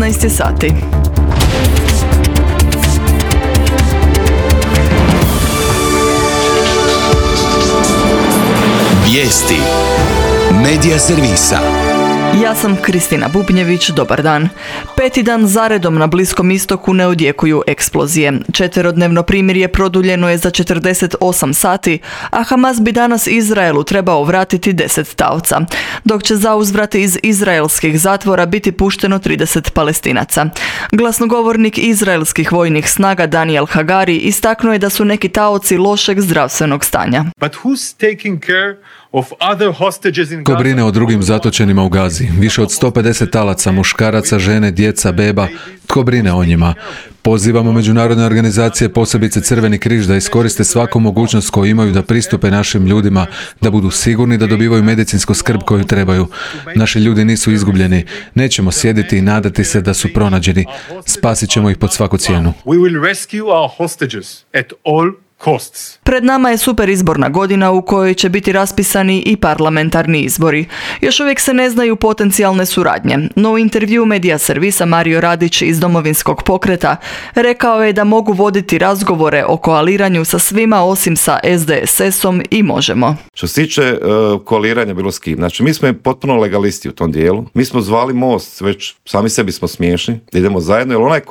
15 sati. Vijesti Medija servisa. Ja sam Kristina Bubnjević, dobar dan. 5. dan zaredom na Bliskom istoku ne odjekuju eksplozije. 4-dnevno primirje produljeno je za 48 sati, a Hamas bi danas Izraelu trebao vratiti 10 taoca, dok će zauzvrat iz izraelskih zatvora biti pušteno 30 Palestinaca. Glasnogovornik izraelskih vojnih snaga Daniel Hagari istaknuo je da su neki taoci lošeg zdravstvenog stanja. Ko brine o drugim zatočenima u Gazi? Više od 150 talaca, muškaraca, žene, djeca, beba. Tko brine o njima? Pozivamo međunarodne organizacije, posebice Crveni križ, da iskoriste svaku mogućnost koju imaju da pristupe našim ljudima, da budu sigurni da dobivaju medicinsku skrb koju trebaju. Naši ljudi nisu izgubljeni. Nećemo sjediti i nadati se da su pronađeni. Spasit ćemo ih pod svaku cijenu. Pred nama je super izborna godina u kojoj će biti raspisani i parlamentarni izbori. Još uvijek se ne znaju potencijalne suradnje, no u intervju Medija servisa Mario Radić iz Domovinskog pokreta rekao je da mogu voditi razgovore o koaliranju sa svima osim sa SDSS-om i Možemo. Što se tiče koaliranja bilo s kim, znači mi smo potpuno legalisti u tom dijelu. Mi smo zvali Most, već sami sebi smo smiješni, da idemo zajedno, jer onaj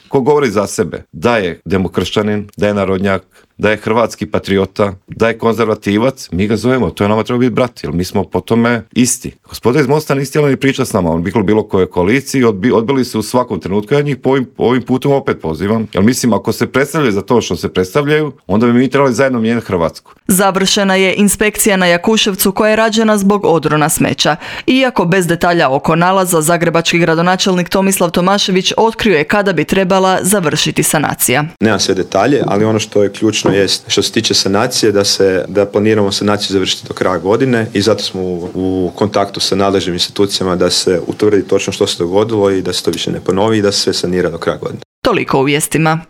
ko govori za sebe, da je demokršćanin, da je narodnjak, da je hrvatski patriota, da je konzervativac, mi ga zovemo, to je nama treba biti brat, jer mi smo po tome isti. Gospoda iz Mosta niste htjeli ni pričati s nama, on bi bilo koje koaliciji, odbili su u svakom trenutku, ja njih ovim putem opet pozivam, jer mislim, ako se predstavljaju za to što se predstavljaju, onda bi mi trebali zajedno mijenjati Hrvatsku. Završena je inspekcija na Jakuševcu koja je rađena zbog odrona smeća. Iako bez detalja oko nalaza, zagrebački gradonačelnik Tomislav Tomašević otkrio je kada bi trebala završiti sanacija. Nema sve detalje, ali ono što je ključno jest što se tiče sanacije da planiramo sanaciju završiti do kraja godine i zato smo u kontaktu sa nadležnim institucijama da se utvrdi točno što se dogodilo i da se to više ne ponovi i da se sve sanira do kraja godine. Toliko u vijestima.